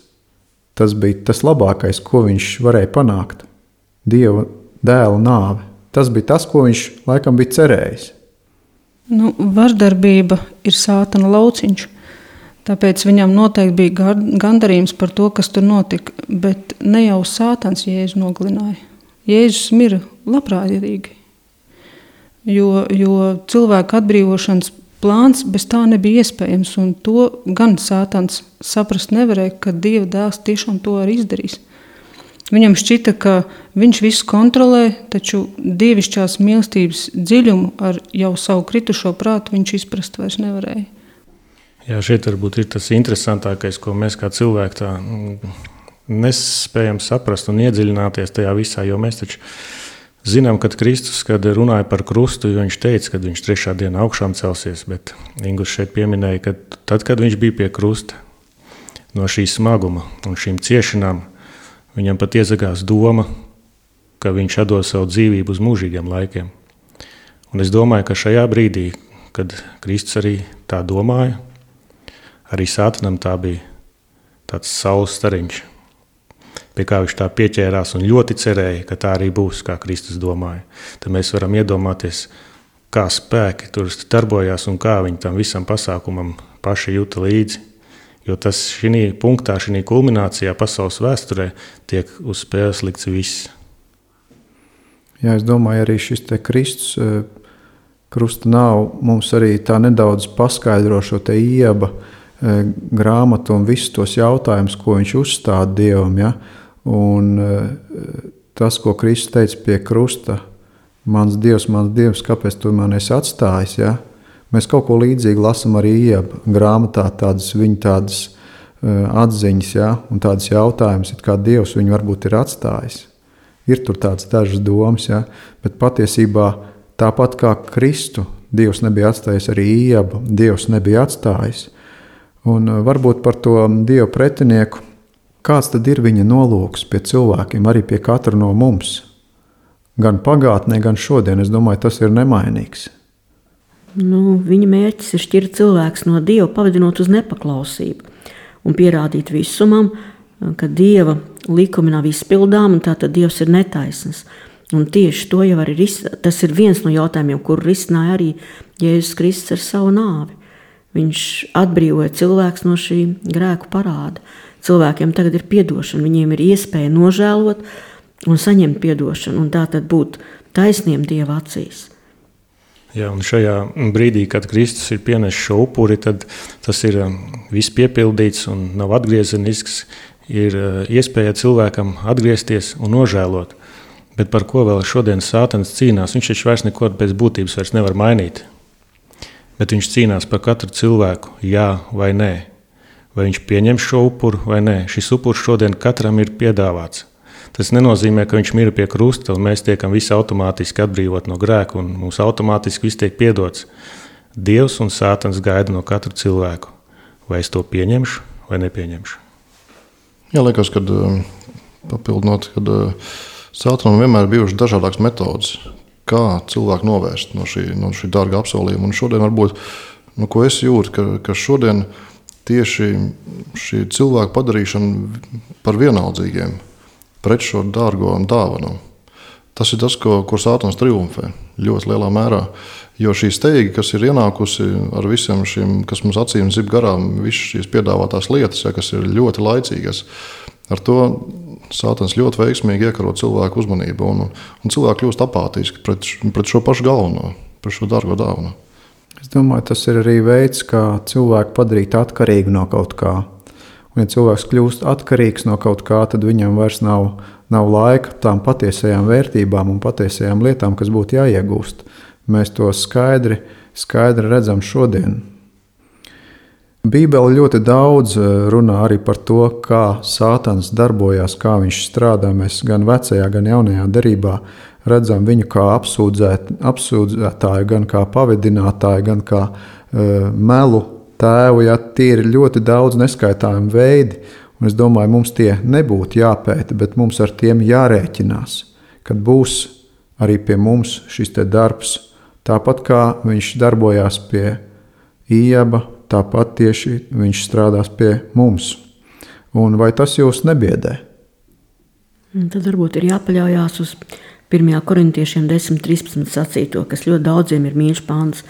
tas bija tas labākais, ko viņš varēja panākt? Dieva dēla nāve. Tas bija tas, ko viņš laikam bija cerējis. Vardarbība ir sātana lauciņš, tāpēc viņam noteikti bija gandarījums par to, kas tur notika, bet ne jau sātans Jēzu nogalināja. Jēzus mira labprātīgi, jo cilvēka atbrīvošanas plāns bez tā nebija iespējams, un to gan sātans saprast nevarēja, ka Dieva dēls tiešām to arī izdarīs. Viņam šķita, ka viņš visu kontrolē, taču dievišķās mīlestības dziļumu ar jau savu kritušo prātu viņš izprast vairs nevarēja. Jā, šeit varbūt ir tas interesantākais, ko mēs kā cilvēki tā nespējam saprast un iedziļināties tajā visā, jo mēs taču zinām, kad Kristus, kad runāja par krustu, jo viņš teica, ka viņš 3. dienā augšām celsies, bet Ingus šeit pieminēja, ka tad, kad viņš bija pie krusta, no šī smaguma un šīm ciešanām, viņam pat iezagās doma, ka viņš atdos savu dzīvību uz mūžīgiem laikiem. Un es domāju, ka šajā brīdī, kad Kristus arī tā domāja, arī sātanam tā bija tāds saules stariņš, pie kā viņš tā pieķērās un ļoti cerēja, ka tā arī būs, kā Kristus domāja. Tad mēs varam iedomāties, kā spēki tur darbojās un kā viņi tam visam pasākumam paši jūta līdzi. Jo tas šī punktā, šī kulminācijā pasaules vēsturē tiek uz spēles likts viss. Jā, es domāju, arī šis te Kristus krusta nav mums arī tā nedaudz paskaidro šo te Ieba grāmatu un visus tos jautājumus, ko viņš uzstāda Dievam. Ja? Un tas, ko Kristus teica pie krusta, mans Dievs, kāpēc tu mani esi atstājis? Ja? Mēs kaut ko līdzīgu lasām arī Ieba grāmatā, viņa tādas atziņas, ja? Un tādas jautājumas, kā Dievs viņu varbūt ir atstājis. Ir tur tādas dažas domas, ja? Bet patiesībā tāpat kā Kristu, Dievs nebija atstājis arī Iebu, Dievs nebija atstājis. Un varbūt par to Dieva pretinieku, kāds tad ir viņa nolūks pie cilvēkiem, arī pie katra no mums? Gan pagātnē, gan šodien, es domāju, tas ir nemainīgs. Viņa mērķis ir šķirt cilvēks no Dieva, pavadinot uz nepaklausību un pierādīt visumam, ka Dieva likumi nav izpildām un tātad Dievs ir netaisns. Un tieši to jau arī tas ir viens no jautājumiem, kuru risināja arī Jēzus Kristus ar savu nāvi. Viņš atbrīvoja cilvēks no šī grēku parāda. Cilvēkiem tagad ir piedošana, viņiem ir iespēja nožēlot un saņemt piedošanu, un tātad būt taisniem Dieva acīs. Jā, un šajā brīdī, kad Kristus ir pienesis šo upuri, tad tas ir viss piepildīts un nav atgriezenisks. Ir iespēja cilvēkam atgriezties un nožēlot. Bet par ko vēl šodien Sātans cīnās? Viņš taču vairs neko pēc būtības vairs nevar mainīt. Bet viņš cīnās par katru cilvēku, jā vai nē. Vai viņš pieņem šo upuru vai nē. Šis upurs šodien katram ir piedāvāts. Tas nenozīmē, ka viņš mira pie krusta un mēs tiekam visi automātiski atbrīvot no grēka un mums automātiski viss tiek piedots. Dievs un Sātans gaida no katra cilvēku. Vai es to pieņemšu vai nepieņemšu? Jā, liekas, kad papildinot, kad Sātanam vienmēr bijušas dažādākas metodas, kā cilvēku novērst no šī dārga apsolījuma. Un šodien varbūt, ko es jūtu, ka šodien tieši šī cilvēku padarīšana par vienaldzīgiem pret šo dārgo dāvanu. Tas ir tas, kur Sātans triumfē ļoti lielā mērā. Jo šī steiga, kas ir ienākusi ar visiem šiem, kas mums acīm zib garām, visas šīs piedāvātās lietas, kas ir ļoti laicīgas, ar to Sātans ļoti veiksmīgi iekaro cilvēku uzmanību. Un cilvēki kļūst apātiski pret šo pašu galveno, pret šo dārgo dāvanu. Es domāju, tas ir arī veids, kā cilvēku padarīt atkarīgu no kaut kā. Un, ja cilvēks kļūst atkarīgs no kaut kā, tad viņam vairs nav laika tām patiesajām vērtībām un patiesajām lietām, kas būtu jāiegūst. Mēs to skaidri redzam šodien. Bībele ļoti daudz runā arī par to, kā Sātans darbojās, kā viņš strādā. Mēs gan vecajā, gan jaunajā derībā redzam viņu kā apsūdzētāju, gan kā pavedinātāju, gan kā melu tēvu. Ja, tie ir ļoti daudz neskaitāmi veidi, un es domāju, mums tie nebūtu jāpēta, bet mums ar tiem jārēķinās, kad būs arī pie mums šis te darbs. Tāpat kā viņš darbojās pie Ieba, tāpat tieši viņš strādās pie mums. Un vai tas jūs nebiedē? Tad varbūt ir jāpaļaujās uz 1. Korintiešiem 10.13 sacīto, kas ļoti daudziem ir mīļš pāns.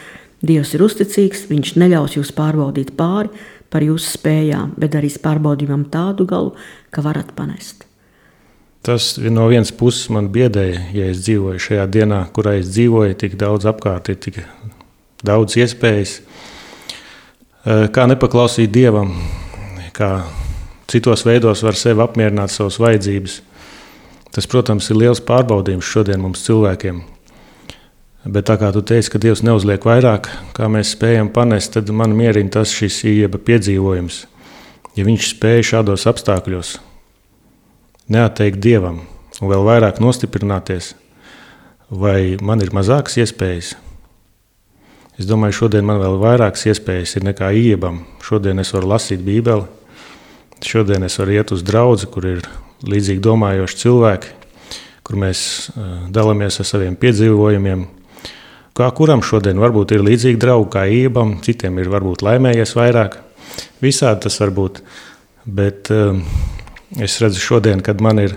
Dievs ir uzticīgs, viņš neļaus jūs pārbaudīt pāri par jūsu spējām, bet darīs pārbaudījumam tādu galu, ka varat panest. Tas no vienas puses man biedēja, ja es dzīvoju šajā dienā, kurā es dzīvoju, tik daudz apkārt, ir tik daudz iespējas. Kā nepaklausīt Dievam, kā citos veidos var sevi apmierināt savas vajadzības. Tas, protams, ir liels pārbaudījums šodien mums cilvēkiem. Bet tā kā tu teici, ka Dievs neuzliek vairāk, kā mēs spējam panest, tad man mierina tas šis Ieba piedzīvojums. Ja viņš spēja šādos apstākļos neatteikt Dievam un vēl vairāk nostiprināties, vai man ir mazākas iespējas? Es domāju, šodien man vēl vairākas iespējas ir nekā Iebam. Šodien es varu lasīt Bībeli, šodien es varu iet uz draudzi, kur ir līdzīgi domājoši cilvēki, kur mēs dalāmies ar saviem piedzīvojumiem. Kā kuram šodien varbūt ir līdzīgi draugi kā Iebam, citiem ir varbūt laimējies vairāk. Visādi tas var būt, bet es redzu šodien, kad man ir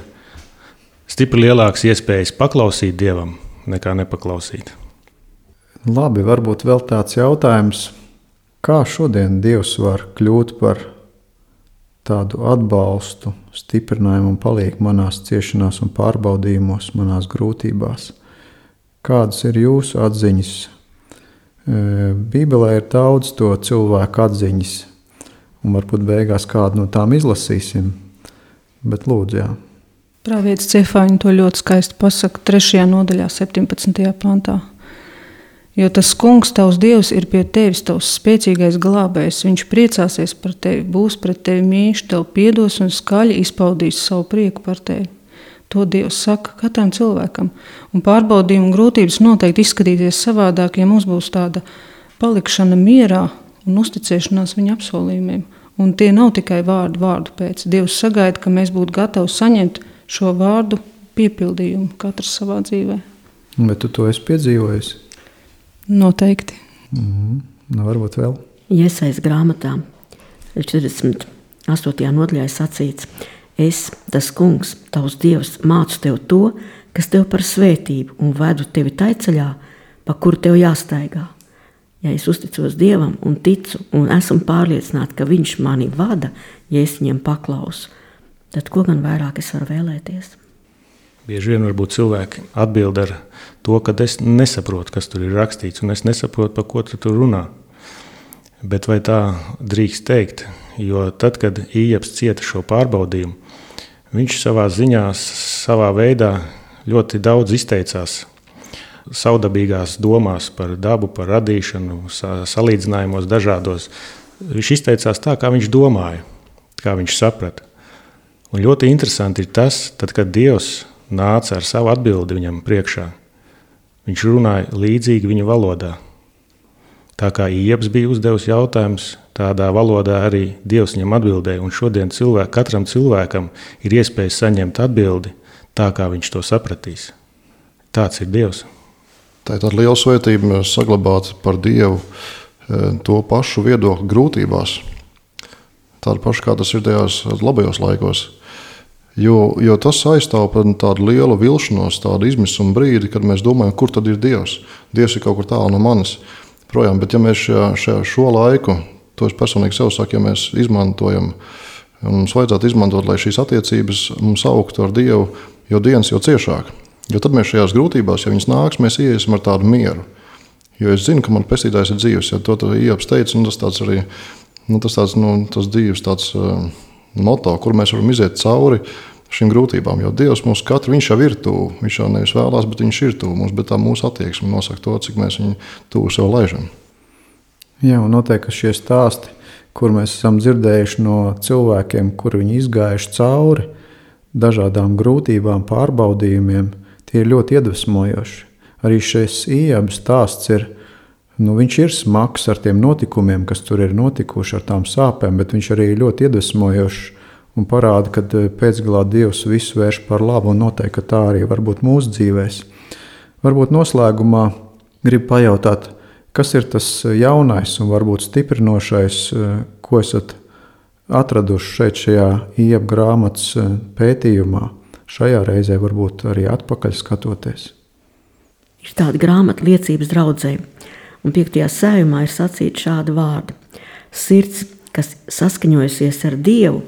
stipri lielākas iespējas paklausīt Dievam, nekā nepaklausīt. Labi, varbūt vēl tāds jautājums, kā šodien Dievs var kļūt par tādu atbalstu, stiprinājumu un palīdzību manās ciešanās un pārbaudījumos, manās grūtībās. Kādas ir jūsu atziņas? Bībelē ir daudz to cilvēku atziņas, un varbūt beigās kādu no tām izlasīsim, bet lūdzu, jā. Pravietis Cefāņa to ļoti skaisti pasaka 3. nodaļā, 17. pantā. Jo tas kungs, tavs Dievs, ir pie tevis, tavs spēcīgais glābējs. Viņš priecāsies par tevi, būs pret tevi mīļš, tev piedos un skaļi izpaudīs savu prieku par tevi. To Dievs saka katram cilvēkam. Un pārbaudījumi un grūtības noteikti izskatīties savādāk, ja mums būs tāda palikšana mierā un uzticēšanās viņa apsolījumiem. Un tie nav tikai vārdu pēc. Dievs sagaida, ka mēs būtu gatavi saņemt šo vārdu piepildījumu katrs savā dzīvē. Bet tu to esi piedzīvojis? Noteikti. Nu, varbūt vēl. Iesaijas grāmatā 48. nodaļā sacīts: Es, tas kungs, tavs Dievs, mācu tev to, kas tev par svētību un vedu tevi tai ceļā, pa kuru tev jāstaigā. Ja es uzticos Dievam un ticu un esmu pārliecināta, ka viņš mani vada, ja es viņam paklausu, tad ko gan vairāk es varu vēlēties? Bieži vien varbūt cilvēki atbild ar to, ka es nesaprotu, kas tur ir rakstīts, un es nesaprotu, par ko tu tur runā. Bet vai tā drīkst teikt? Jo tad, kad Ījabs cieta šo pārbaudījumu, viņš savā ziņās, savā veidā ļoti daudz izteicās savdabīgās domās par dabu, par radīšanu, salīdzinājumos dažādos. Viņš izteicās tā, kā viņš domāja, kā viņš saprata. Un ļoti interesanti ir tas, tad, kad Dievs nāca ar savu atbildi viņam priekšā, viņš runāja līdzīgi viņa valodā. Tā kā Ījabs bija uzdevis jautājumus, tādā valodā arī Dievs viņam atbildēja. Un šodien katram cilvēkam ir iespēja saņemt atbildi tā, kā viņš to sapratīs. Tāds ir Dievs. Tā ir tāda liela svētība saglabāt par Dievu to pašu viedokli grūtībās. Tādu pašu, kā tas ir tajos labajos laikos. Jo tas aizstāv tādu lielu vilšanos, tādu izmisuma brīdi, kad mēs domājam, kur tad ir Dievs. Dievs ir kaut kur tālu no manis projām. Bet ja mēs šo laiku, to es personīgi sev saku, ja mēs izmantojam, un mums vajadzētu izmantot, lai šīs attiecības mums augtu ar Dievu, jo dienas jau ciešāk. Jo tad mēs šajās grūtībās, ja viņas nāks, mēs iesim ar tādu mieru. Jo es zinu, ka man pestītājs ir dzīves. Ja to Ījabs teica, un tas tāds arī, tas dzīves tāds moto, kur mēs varam iziet cauri šīm grūtībām. Jo Dievs mums katru, viņš jau ir tuvu. Viņš jau nevis vēlās, bet viņš ir tuvu mums, bet tā mūsu attieksme nosaka to, cik mēs viņu tuvu sev laižam. Jā, un noteikti šie stāsti, kur mēs esam dzirdējuši no cilvēkiem, kuri viņi izgājuši cauri dažādām grūtībām, pārbaudījumiem, tie ir ļoti iedvesmojoši. Arī šis Ījaba stāsts ir, viņš ir smags ar tiem notikumiem, kas tur ir notikuši, ar tām sāpēm, bet viņš arī ļoti iedvesmojošs un parāda, ka pēcgalā Dievs visu vērš par labu, un noteikti, ka tā arī var būt mūsu dzīvēs. Varbūt noslēgumā gribu pajautāt, kas ir tas jaunais un varbūt stiprinošais, ko esat atraduši šeit šajā Ījaba grāmatas pētījumā, šajā reizē varbūt arī atpakaļ skatoties? Ir tāda grāmata liecības draudzē, un 5. sējumā ir sacīta šāda vārda: Sirds, kas saskaņojusies ar Dievu,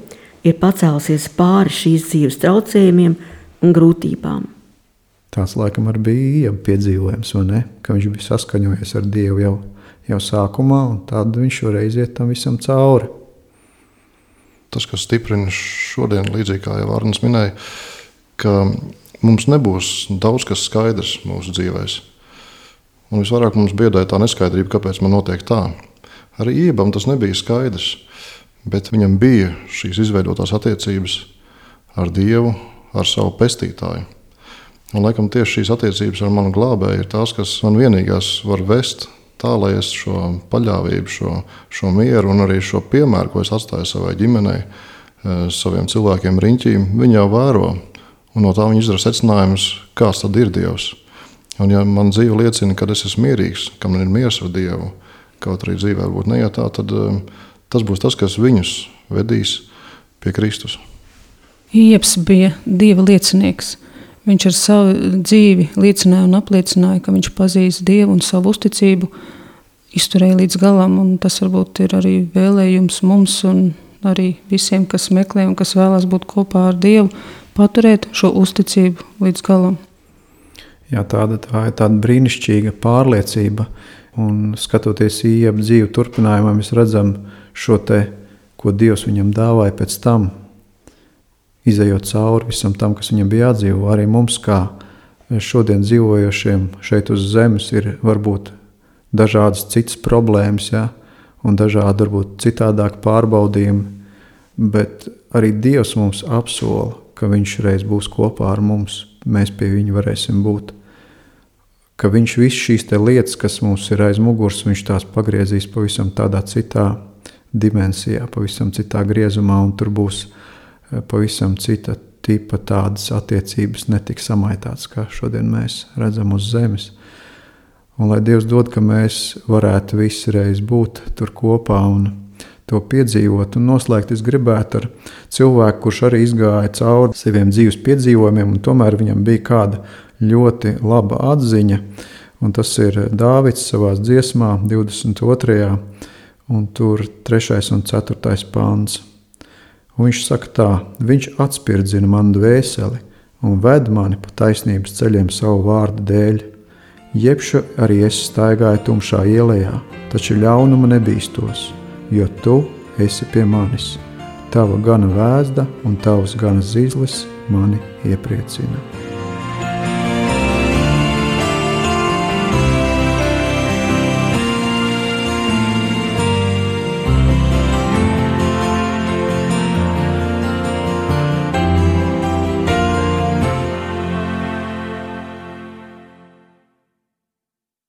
ir pacēlusies pāri šīs dzīves traucējumiem un grūtībām. Tāds laikam arī bija Ījaba piedzīvojums, vai ne? Ka viņš bija saskaņojies ar Dievu jau sākumā, un tad viņš šoreiz iet tam visam cauri. Tas, kas stiprina šodien, līdzīgi kā jau Arnis minēja, ka mums nebūs daudz kas skaidrs mūsu dzīvēs. Un visvairāk mums biedēja tā neskaidrība, kāpēc man notiek tā. Arī Ījabam tas nebija skaidrs, bet viņam bija šīs izveidotās attiecības ar Dievu, ar savu pestītāju. Un laikam tieši šīs attiecības ar manu glābēju ir tās, kas man vienīgās var vest tā, lai es šo paļāvību, šo mieru un arī šo piemēru, ko es atstāju savai ģimenei, saviem cilvēkiem riņķīm, viņi jau vēro. Un no tā viņi izdara secinājumus, kāds tad ir Dievs. Un ja man dzīve liecina, ka es esmu mierīgs, ka man ir miers ar Dievu, kaut arī dzīvē varbūt neiet tā, tad tas būs tas, kas viņus vedīs pie Kristus. Ījabs bija Dieva liecinieks. Viņš ar savu dzīvi liecināja un apliecināja, ka viņš pazīst Dievu un savu uzticību izturēja līdz galam. Un tas varbūt ir arī vēlējums mums un arī visiem, kas meklē un kas vēlas būt kopā ar Dievu, paturēt šo uzticību līdz galam. Jā, tā ir tāda brīnišķīga pārliecība. Un skatoties Ījaba dzīvi turpinājumā, mēs redzam šo te, ko Dievs viņam dāvāja pēc tam, izejot cauri visam tam, kas viņam bija jādzīvo. Arī mums, kā šodien dzīvojošiem šeit uz zemes, ir varbūt dažādas citas problēmas, ja? Un dažādi varbūt citādāk pārbaudījumi, bet arī Dievs mums apsola, ka viņš reiz būs kopā ar mums, mēs pie viņa varēsim būt. Ka viņš visu šīs te lietas, kas mums ir aiz muguras, viņš tās pagriezīs pavisam tādā citā dimensijā, pavisam citā griezumā, un tur būs pavisam cita tipa tādas attiecības, netik samaitātas, kā šodien mēs redzam uz zemes. Un lai Dievs dod, ka mēs varētu visi reiz būt tur kopā un to piedzīvot un noslēgt, es gribētu ar cilvēku, kurš arī izgāja cauri saviem dzīves piedzīvojumiem, un tomēr viņam bija kāda ļoti laba atziņa, un tas ir Dāvids savās dziesmā 22. un tur 3. un 4. pāns. Un viņš saka tā: viņš atspirdzina manu dvēseli un ved mani pa taisnības ceļiem savu vārdu dēļ. Jebšu arī es staigāju tumšā ielējā, taču ļaunuma nebīstos, jo tu esi pie manis. Tava gana vēzda un tavs gana zīzlis mani iepriecina.